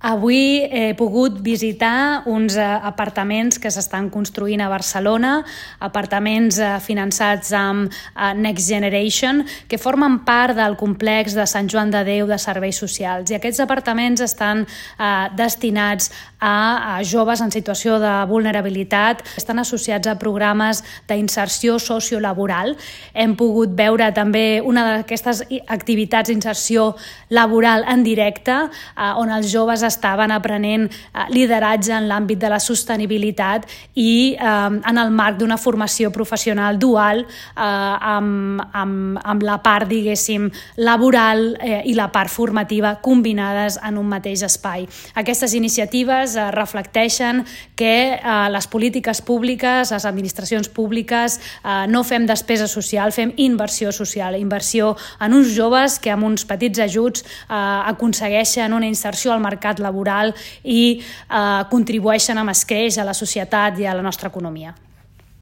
Avui he pogut visitar uns apartaments que s'estan construint a Barcelona, apartaments finançats amb Next Generation, que formen part del complex de Sant Joan de Déu de Serveis Socials. I aquests apartaments estan destinats a joves en situació de vulnerabilitat, estan associats a programes d'inserció sociolaboral. Hem pogut veure també una d'aquestes activitats d'inserció laboral en directe, on els joves estaven aprenent lideratge en l'àmbit de la sostenibilitat i en el marc d'una formació professional dual amb la part, diguéssim, laboral i la part formativa combinades en un mateix espai. Aquestes iniciatives reflecteixen que les polítiques públiques, les administracions públiques, no fem despesa social, fem inversió social, inversió en uns joves que amb uns petits ajuts aconsegueixen una inserció al mercat laboral i contribueixen amb escreix a la societat i a la nostra economia.